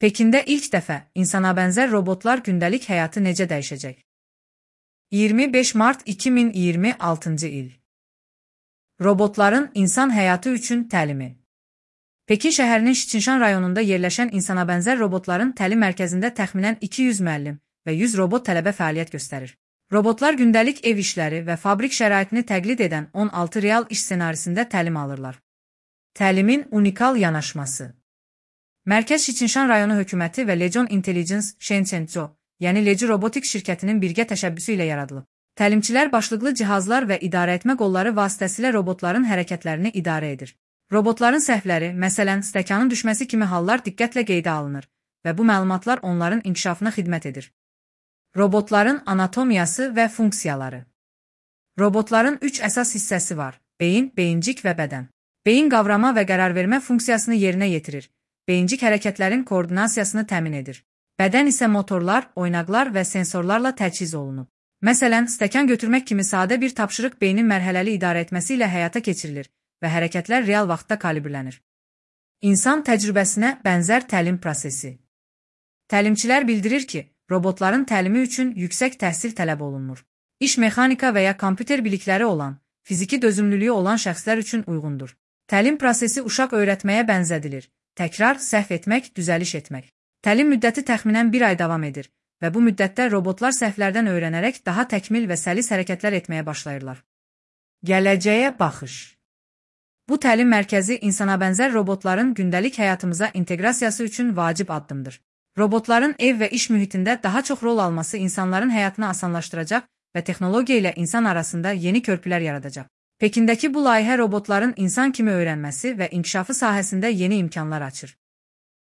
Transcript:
Pekində ilk dəfə insana bənzər robotlar gündəlik həyatı necə dəyişəcək? 25 mart 2026-cı il. Robotların insan həyatı üçün təlimi. Pekin şəhərinin Şiçinşan rayonunda yerləşən insana bənzər robotların təlim mərkəzində təxminən 200 müəllim və 100 robot tələbə fəaliyyət göstərir. Robotlar gündəlik ev işləri və fabrik şəraitini təqlid edən 16 real iş ssenarisində təlim alırlar. Təlimin unikal yanaşması. Mərkəz Şiçinşan rayonu hökuməti və Legion Intelligence Shenzhou, yəni Legi Robotics şirkətinin birgə təşəbbüsü ilə yaradılıb. Təlimçilər başlıqlı cihazlar və idarəetmə qolları vasitəsilə robotların hərəkətlərini idarə edir. Robotların səhvləri, məsələn, stəkanın düşməsi kimi hallar diqqətlə qeydə alınır və bu məlumatlar onların inkişafına xidmət edir. Robotların anatomiyası və funksiyaları. Robotların 3 əsas hissəsi var: beyin, beyincik və bədən. Beyin qavrama və qərarvermə funksiyasını yerinə yetirir. Beyincik hərəkətlərin koordinasiyasını təmin edir. Bədən isə motorlar, oynaqlar və sensorlarla təchiz olunub. Məsələn, stəkan götürmək kimi sadə bir tapşırıq beynin mərhələli idarə etməsi ilə həyata keçirilir və hərəkətlər real vaxtda kalibrlənir. İnsan təcrübəsinə bənzər təlim prosesi. Təlimçilər bildirir ki, robotların təlimi üçün yüksək təhsil tələb olunmur. İş mexanika və ya kompüter bilikləri olan, fiziki dözümlülüyü olan şəxslər üçün uyğundur. Təlim prosesi uşaq öyrətməyə bənzədilir. Təkrar, səhv etmək, düzəliş etmək. Təlim müddəti təxminən 1 ay davam edir və bu müddətdə robotlar səhvlərdən öyrənərək daha təkmil və səlis hərəkətlər etməyə başlayırlar. Gələcəyə baxış. Bu təlim mərkəzi insana bənzər robotların gündəlik həyatımıza inteqrasiyası üçün vacib addımdır. Robotların ev və iş mühitində daha çox rol alması insanların həyatını asanlaşdıracaq və texnologiya ilə insan arasında yeni körpülər yaradacaq. Pekindəki bu layihə robotların insan kimi öyrənməsi və inkişafı sahəsində yeni imkanlar açır.